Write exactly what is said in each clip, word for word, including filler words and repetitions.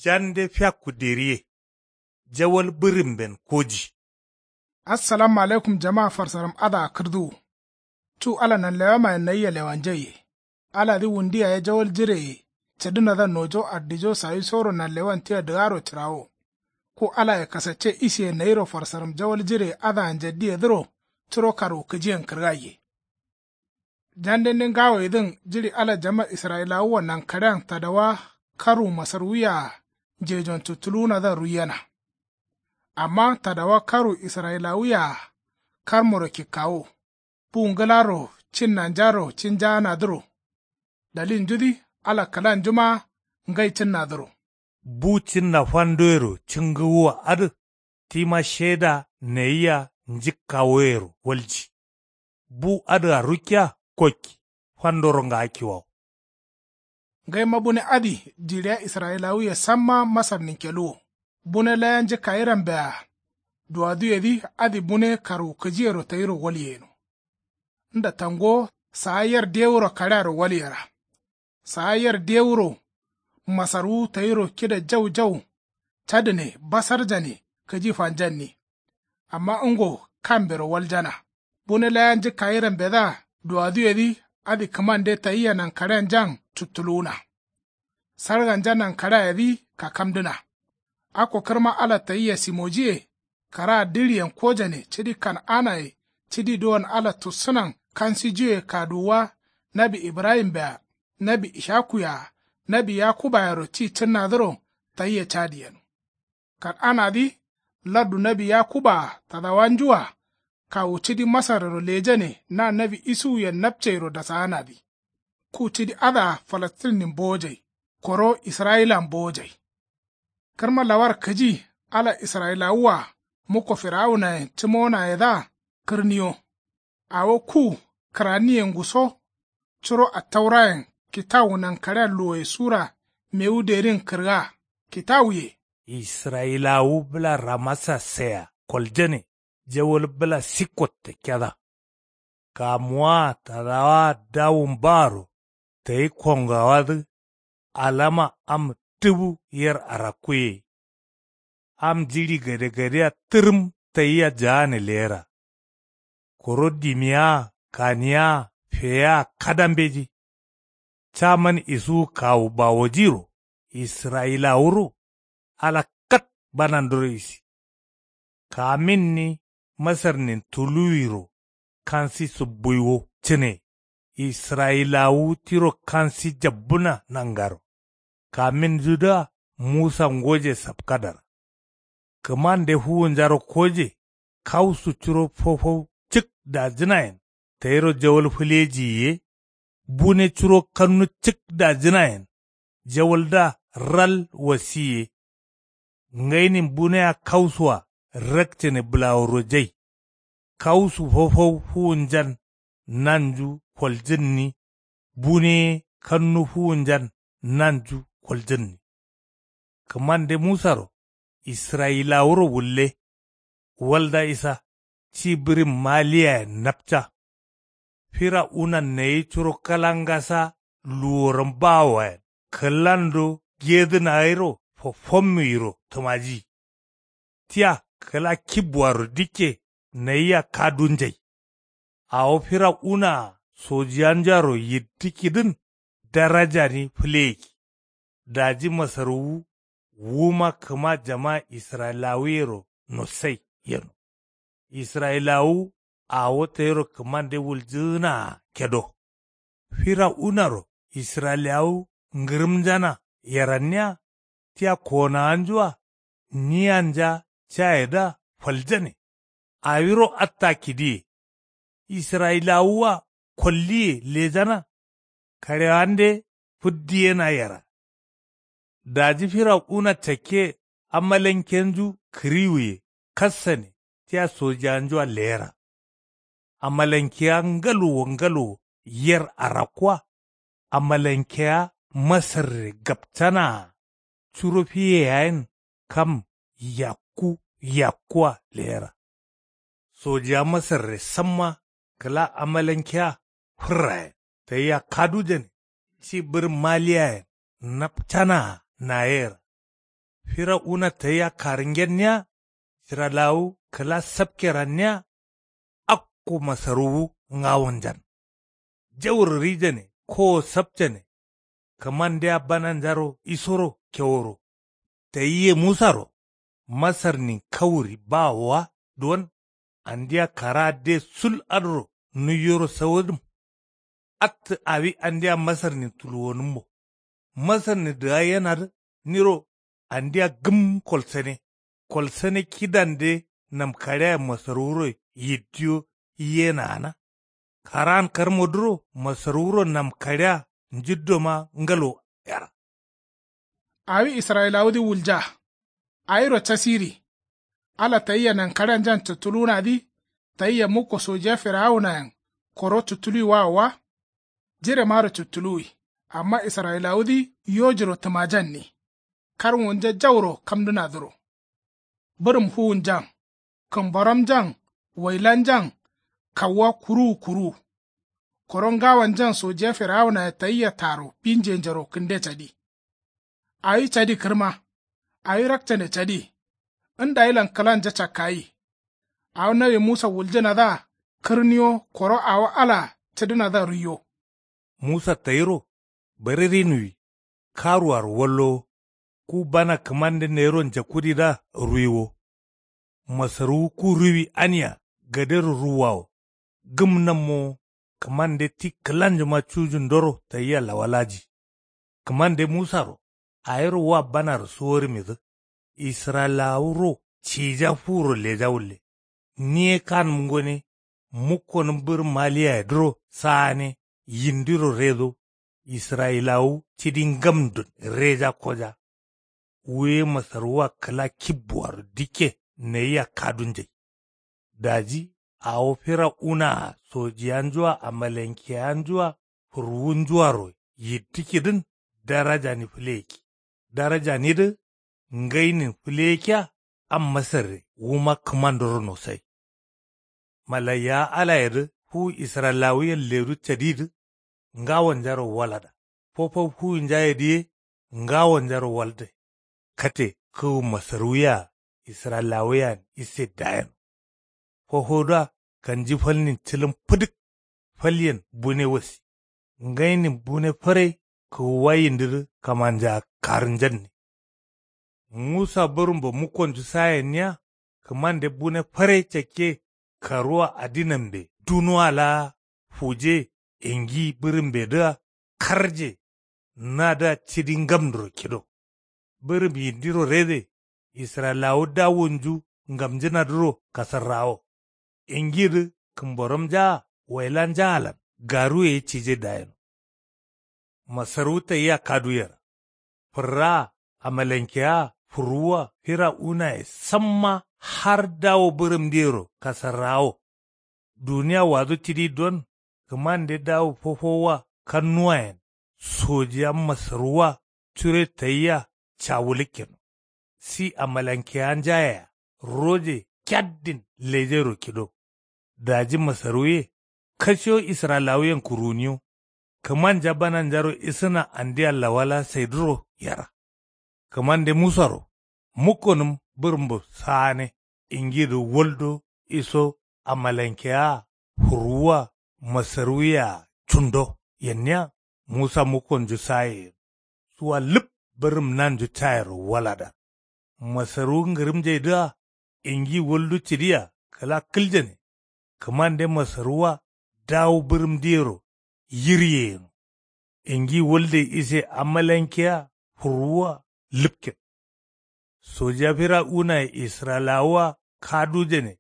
Jande fiakku deriye. Jawal bǝrimben koji. Assalamu alaikum jama farsaram adǝa kǝrduwu. Cu ala nanlewamayen nayia lewanja ye. Aladǝ wundu yaye jawal jireye cǝdǝnadǝa nojo ardijo sawisoro nanlewan tia dǝgaro cǝrawo. Ku alaye kasacce isiye nayiro farsaram jawal jireye adǝa njaddiyedǝro curo karwukǝjiyen kǝrgaiye. Jandende ngawoyedǝn jiɍi ala jama israyilawua nankaɍean tadawa karwu masarwuyea njejon tuttuluwunadǝa ruiyena. Amma tadawa karwu israyilawuyea karmoro kikkawo. Bu ngǝlaro cin nanjaro cinjaanadǝro. Dalilnjudǝ ala kǝlanjuma ngai cǝnnadǝro. Bu cǝnna fandoyero cǝngǝwua adǝ tima sheda nayia njǝkkawoyero walji. Bu adǝa rukkiya kokki fandoro ngaakkiwawo. Ngaima bune adǝ jiɍiya israyilawuye samma masarnin keluwo. Bune laya njǝkkayirambea duwaduyedǝ adǝ bune karwukǝjiyero tayiro walyeyeno. Nda tangowo saa yer dewuro kaɍearo walyera. Saa yer dewuro masarwu tayiro kida jau jau cadǝne basarjane kǝji fanjanni. Amma ngo kambero waljana. Bune laya njǝkkayirambedǝa duwaduyedǝ adǝ kǝmande tayia nankaɍeanjan cuttuluwuna. Sarganja nankaɍeayedǝ kakamdǝna. Akko kǝrma ala tayia simojiye. Karaa diɍiyen kojane cidi kan'anaye cidi duwon ala tussǝnan kansijuye kaduwuwa. Nawi ibrahim-bea nawi ishaku-yea nawi yakuba-yero ci cǝnnadǝro tayia cadi yeno. Kan'anadǝ lardu nawi yakuba-a tadawanju-a kawu cidi masarrero lejane na nawi isuwuyen napceiro dasaanadǝ. Ku cidi adǝa falastinnin bowojai koro israyilan bowojai. Kǝrma lawar kǝji ala israyilawu-a mukko firawunayen cǝmonayedǝa kǝrniyo. Awo ku kǝraniyengu so curo attaurayen kitawu nankaɍea luwoye sura mewu derin kǝrga kitawuye. Israyilawu bǝla ramasa seya koljane jawal bǝla sikko takkeda. Kamuwaa tadawaa dawun baaro tayi kongawadǝ alama am dǝbu yer arakkuye. Am jiɍi gadegadeya tǝrǝm tayia jaane leyera. Koro dimiyaa kaniyaa feyeya kada mbeji. Caman isuwu kawu bawojiro israyilawuro ala kat banandoro isi. Kaminni masarnin tuluwiro kansi subbuiwo cǝne. Israyilawu tiro kansi jabbǝna nangaro. Kamindudǝa musa ngoje sapkadara. Kǝmande fuwunjaro koje kausu curo fofau cǝk dajǝnayen tayiro jawal fǝlejiyi ye. Bune curo kannu cǝk dajǝnayen jawaldǝa ral wasiye. Ngainin bunea kausua rakcane bǝlawurojai. Kausu fofau fuwunjan nanju koljǝnni. Bune ye kannu fuwunjan nanju koljǝnni. Kǝmande musaro israyilawuro wulle. Walda isa ci bǝrin maliyayen napca. Firawunan nayi curo kalangasa luworam bawowayen kǝlando gedǝna gairo fofommi gairo tǝmaji. Tia kǝla kibbuwaro dikke nayia kadunjai. Awo firawunaa sojiyanjaro yiddǝkkidǝn darajani fǝleyekki. Daji masarwu wuma kǝma jama israyilawuyero nossai yeno. Israyilawu awo tayiro kǝmande wuljǝgǝnaa kedo. Firawunaro israyilawu ngǝrǝmnjana yeranniya tia konawanjua niyanja cayedǝa faljane. Awiro atta kidiye. Israyilawuwa kolliye lejana. Karewande fǝddiyena yera. Daji firawuna cakke amalankenju kǝriwuye kassane tia sojanjua leyera. Amalankeya ngaluwo ngaluwo yer arakkua. Amalankeya masarre gapcanaa curo fiye yayen kam yakku yakkua leyera. Sojiya masarre samma kǝla amalankeya fǝrrayen tayia kadujane ci bǝrin maliyayen napcanaa nayeyera. Fira'una tayia karǝngenniya. Israyilawu kǝla sapkeranniya. Akko masarwu ngawonjan. Jauro rijane kowo sapcane. Kǝmandeya bananjaro isoro keworo. Tayiye musaro masarnin kawuri bawowa duwon. Andeya kara'a de sul adǝro nuiyoro sawodǝm. Attǝ awi andeya masarnin tuluwonǝmbo. Masarnin dǝgaiyenadǝ niro andeya gǝm kolsane. Kolsane kidande namkaɍeaye masarwuro yiddiyo yiyena gana. Kara'an karmodǝro masarwuro namkaɍea njiddoma ngalo yara. Awi israyilawudǝ wulja. Awiro casiri. Ala tayia nankaɍeanjan cutulunadǝ. Tayia mukko sojiya firawunayen koro cutuluwi wawowa. Jiremaro cutuluwi. Amma israyilawudǝ yojiro tǝmajanni. Karwunja jauro kamdǝnadǝro. Bǝrǝm fuwunjan. Kǝmboramjan. Wailanjan. Kawuwa kuruwu kuruwu. Koro ngawanjan sojiya firawunaye tayia taro binjenjero kǝnde cadi. Awi cadi kǝrma. Awi rakcane cadi. Ndawilan kǝlanja cakkayi. Awo nawi musa wuljǝnadǝa kǝrniwo koro awo alaa cǝdǝnadǝa ruiwo. Musa tayiro bari rinuwi. Karuwaro wallowo. Ku bana kǝmande nayiro njakkudidǝa ruiwo. Masarwu ku ruwi ania gadero ruwwawo. Gǝm nammowo. Kǝmande ti kǝlanjuma cujundoro tayia lawalaji. Kǝmande musaro awiro wa banaro suworǝmidǝ. Israyilawuro cija fuwuro leja wulle. Niye kanǝm ngone. Mukkonǝm bǝrǝm maliyayedǝro saane. Yindiro redo. Israyilawu cidi ngamdun reja koja. Wuye masarwua kǝla kibbuaro dikke nayia kadunjai. Daji awo firawuna-a sojiyanju-a amalenkeyanju-a fǝrwunju-aro yittǝkkidǝn darajani fǝleyekki. Darajanidǝ ngainin fǝleyekkiya. Am masarre wuma kǝmandoro nosai. Malaiyawa alayedǝ fuwu israyilawuyen ledu cadidǝ. Ngawonjaro walada. Fofo fuwunjayedǝ ye ngawonjaro walde. Kate kǝwu masarwuye-a israyilawuyen isse dayeno. Fofoduwa kanji falnin cǝlǝm fǝdǝk. Falyen bune wasi. Ngainin bune fǝrai kǝwuwa yindidǝ kǝmanja karǝnjanni. Musa bǝrǝmbo mukkonju sayenniya. Kǝmande bune fǝrai cakke karuwa adinambe dunuwa laa fuje. Ingi bǝrǝmbedǝa karje. Nadǝa cidi ngamduro kido. Bǝrǝm yindiro rede. Israyilawu dawunju ngamjǝnadǝro kasarrawo. Ingidǝ kǝmboramnjaa wailanjaalan garuye ye cije dayeno. Masarwu tayia kadu yera. Fǝrraa amalankeyaa fǝrwua firawunaye samma har dawo bǝrǝmdiyero kasarrawo. Duniya wadu cidi don kǝmande dawo fofowa kannuwayen sojiya masarwua cure tayia cawulikkeno. Si amalankeyanjayea roje kyaddin lejero kido. Daji masarwuye kashiwo israyilawuyen kǝruniwo. Kǝmanja bananjaro isǝna andia lawala saidǝro yera. Kǝmande musaro mukkonǝm bǝrǝmbo saane. Ingidǝ waldo iso amalankeyaa fǝrwua masarwuyea cundo yenniya. Musa mukkonju saye yen suwa lǝp bǝrǝm nanju cayero walada. Masarwu ngǝrǝmjaidǝa ingi waldu cǝdiya kǝla kǝljane. Kǝmande masarwua dawu bǝrǝmdiyero yirye yeno. Ingi walde ise amalankeya fǝrwua lǝpken. Sojiya firawunaye israyilawua kadujane.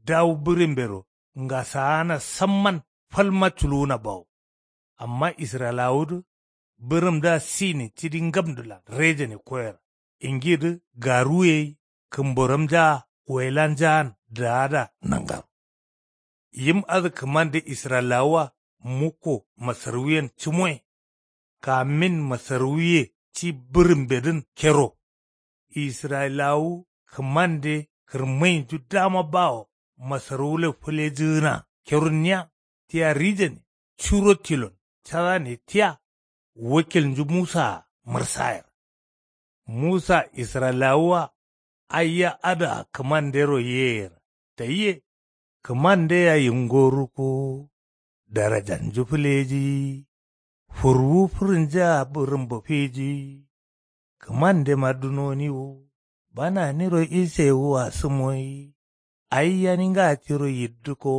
Dawu bǝrǝmbero ngasaana samman falma culuwuna bawo. Amma israyilawudǝ bǝrǝmdǝa sinin cidi ngamdǝlan rejane koyera. Ingidǝ garuye ye kǝmboramnjaa wailanjaan daada nangaro. Yim adǝ kǝmande israyilawua mukko masarwuyen cǝmoye. Kamin masarwuye ci bǝrǝmbedǝn kero. Israyilawu kǝmande kǝrmainju dama bawo masarwulo fǝlejǝgǝna kerunniya. Tia rijane curo tilon cadane tia. Wakilnju musaa mǝrsayera. Musa israyilawua aiya adǝa kǝmandero yeyera tayie. Kǝmandea yingo rukkuwu. Darajanju fǝleji. Furwu fǝrǝnjea bǝrǝmbo fiji. Kǝmandema dunoni wo. Bananiro isewua sǝmoyi. Aiya ninga tiro yiddǝko.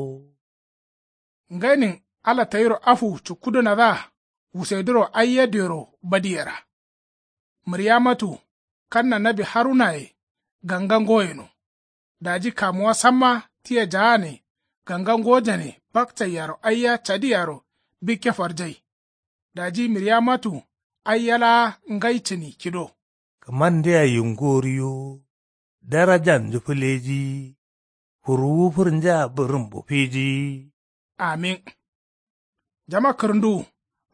Ngainin ala tayiro afu cukkudǝnadǝa wusaiduro aiya dioyero badiyera. Mǝryamatu kanna nawi harunaye ganga ngoyeno. Daji kamuwa samma tia jaane ganga ngojane bakcaiyaro aiya cadiyaro bikke farjai. Daji mǝryamatu aiya laa ngai cǝni kido. Kǝmandea yingo riyo. Darajanju fǝleji. Furwu fǝrnjea bǝrǝmbo fiji. Amin. Jama kǝrǝnduwu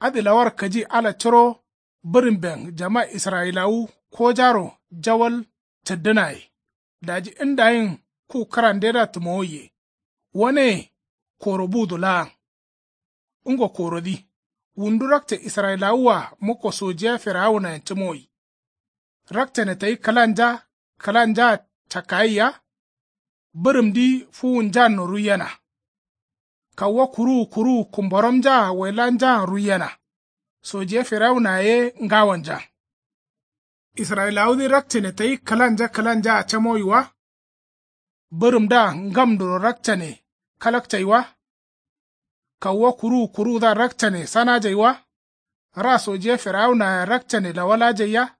adǝ lawar kǝji ala curo bǝrǝmben jama israyilawu kojaro jawal cǝddǝnaye. Daji ndayin ku kǝrandedǝa tǝmowoiye. Waneye koro budu laan. Ngo korodǝ wundu rakce israyilawua mukko sojiya firawunayen cǝmoyi. Rakcane tayi kǝlanja kǝlanjaa cakkayia. Bǝrǝmdǝ fuwunjanno ruiyena. Kauwa kuruwu kuruwu kumboromnjaa wailanjaan ruiyena. Sojiya firawunaye ye ngawanjan. Israyilawudǝ rakcane tayi kǝlanja kǝlanjaa camoyi wa. Bǝrǝmdǝa ngamduro rakcane kalakcai wa. Kauwa kuruwu kuruwudǝa rakcane sanajai wa. Ra sojiya firawunayea rakcane lawalajaiya.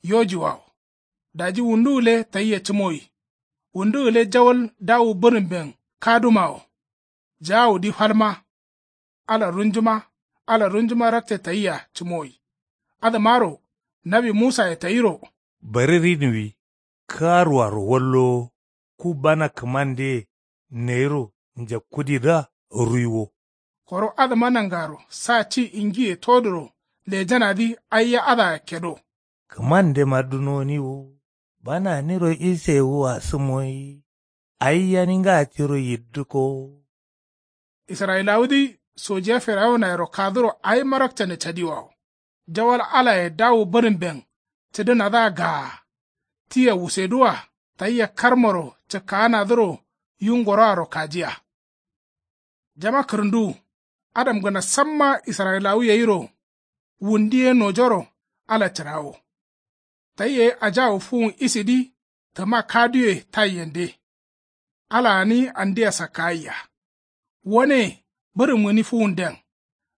Yojiwawo. Daji wundu gǝle tayia cǝmoyi. Wundu gǝle jawal dawu bǝrǝmben kadumawo. Jawudǝ falma. Ala runjuma ala runjuma rakce tayia cǝmoyi. Adǝmaro nawi musaye tayiro. Bari rinuwi kǝaruaro wallowo. Ku bana kǝmandeye nayiro njakkudidǝa ruiwo. Koro adǝma nangaro sa ci ingiye toduro lejanadǝ aiya adǝa kedo. Kǝmandema dunoni wo. Bananiro isewua sǝmoyi. Aiya ninga tiro yiddǝko. Israyilawudǝ sojiya firawunayero kaduro awima rakcane cadiwawo. Jawal alaye dawu bǝrǝmben cǝdǝnadǝa gaa. Tia wuseduwa tayia karmoro cǝkkaanadǝro yu ngoroaro kajiya. Jama kǝrǝnduwu adamgǝna samma israyilawu yairo. Wundu ye nojoro ala cǝrawo. Tayia ye ajawu fuwun isidǝ tǝma kaduwe taiyende. Ala gǝni andia sakkayia. Wane bǝrǝm gǝni fuwunden.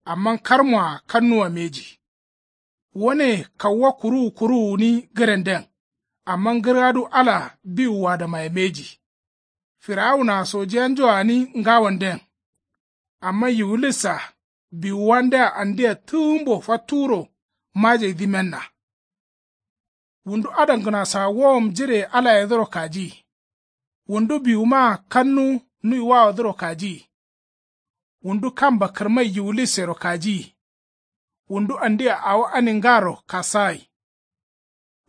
Amma karmoa kannuwa mbeji. Wane kauwa kuruwu kuruwu gǝni gǝrenden. Amma gǝrgadu ala biwuwadǝmaye mbeji. Firawunaa sojiyanjua gǝni ngawanden. Amma yiwulissaa biwuwandea andia tǝgǝmbo fatturo majaidǝ menna. Wundu adamgǝnasoa wowom jireye alayedǝro kajiyi. Wundu biwumaa kannu nuiwawodǝro kajiyi. Wundu kamba kǝrmai yiwulissero kajiyi. Wundu andia awo aningaro kasagai.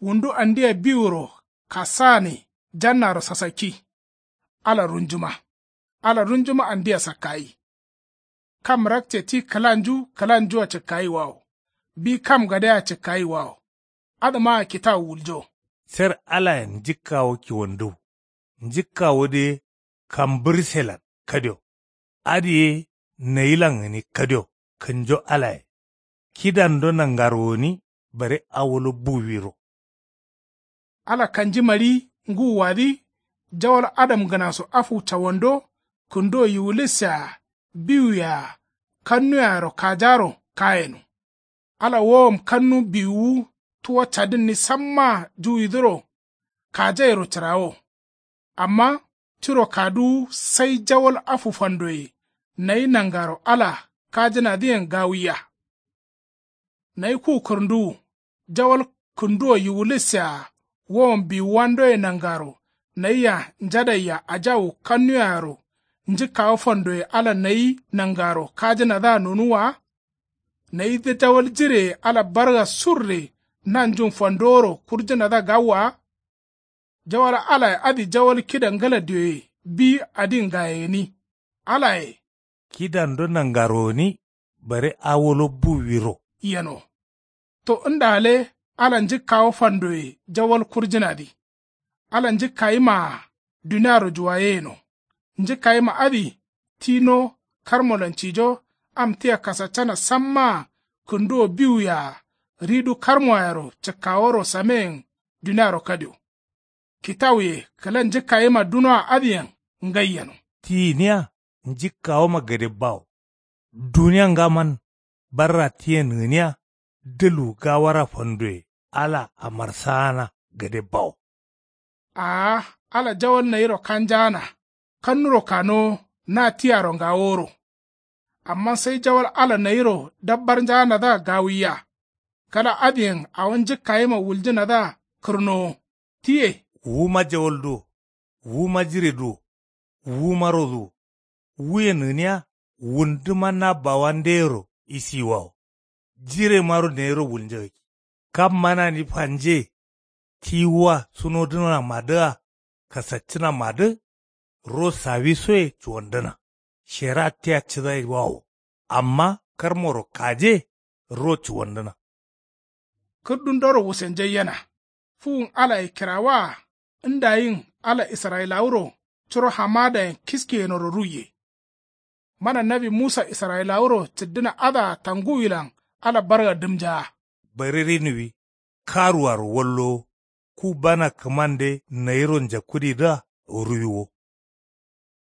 Wundu andia biwuro kasagane jannaro sasakki. Ala runjuma ala runjuma andia sakkayi. Kam rakce ti kǝlanju kǝlanjua cǝkkayiwawo. Bi kam gadea cǝkkayiwawo. Adǝmaa kitawu wuljo. Sar alayen njǝkkawo kiwandu. Njǝkkawodǝ ye kambǝrselan kadio. Adǝ ye nayilan gǝni kadio. Kǝnjo alaye kidando nangaro gǝni bare awolo buwiro. Ala kanjimari ngǝwuwadǝ jawal adamgǝnaso afu cawando kǝnduwo yiwulisseya biwuyea kannuyearo kajaro kayeno. Ala wowom kannu biwuwu tuwo cadǝnni sammaa juwidǝro kajairo cǝrawo. Amma tiro kaduwu sai jawal afu fandoye nayi nangaro ala kajǝnadǝyen gawuiya. Nayi ku kǝrǝnduwu jawal kǝnduwo yiwulissea wowom biwuwandoye nangaro nayia njadaiya ajawu kannuyearo njǝkkawo fandoye ala nayi nangaro kajǝnadǝa nonuwwa wa. Nayidǝ jawal jireye ala barga surre nanjun fandoworo kurjǝnadǝa gawwa wa. Jawal alaye adǝ jawal kida ngala dioye bi adin gaye gǝni. Alaye kidando nangaro gǝni bare awolo buwiro yeno. To nda gǝle Ala njǝkkawo fandoye jawal kurjǝnadǝ. Ala njǝkkayimaa duniaro juwayeyeno. Njǝkkayima adǝ tino karmolan cijo. Am tia kasaccana sammaa kǝnduwo biwuyea. Ridu karmoayero cǝkkaworo sameyen duniaro kadio. Kitawuye kǝla njǝkkayima dunoa adǝyen ngai yeno. Ti gǝniya njǝkkawoma gade bawo. Duniya ngaman barra tiyen gǝniya. Dǝlu gawara fandoye ala amarsaana gade bawo. Aa ala jawal nayiro kanjaana. Kannuro kanowo na tiaro ngaworo. Amma sai jawal ala nayiro dabbarnjaanadǝa gawuiya. Kala adǝyen awo njǝkkayima wuljǝnadǝa kǝrnowo. Tiye. Wuma jawalduwo wuma jireduwo wuma roduwo. Wuyen gǝniya wunduma na bawandeyero isiyiwawo. Jiremaro nayiro wulnjagakki. Kam manani fanje. Tiwuwa sunodǝnamadǝa kasaccǝnamadǝ. Ro sawisoye cuwandǝna. Shera tia cǝdaiwawo. Amma karmoro kaje ro cuwandǝna. Kǝrdundoro wusenjaiyena. Fuwun alaye kirawaa ndayin ala israyilawuro curo hamadayen kiskiyenoro ruiye. Mana nawi musa israyilawuro cǝddǝna adǝa tanguwilan ala barga dǝmjaa. Bare rinuwi karuaro wallowo. Ku bana kǝmande nayiro njakkudidǝa ruwiwo.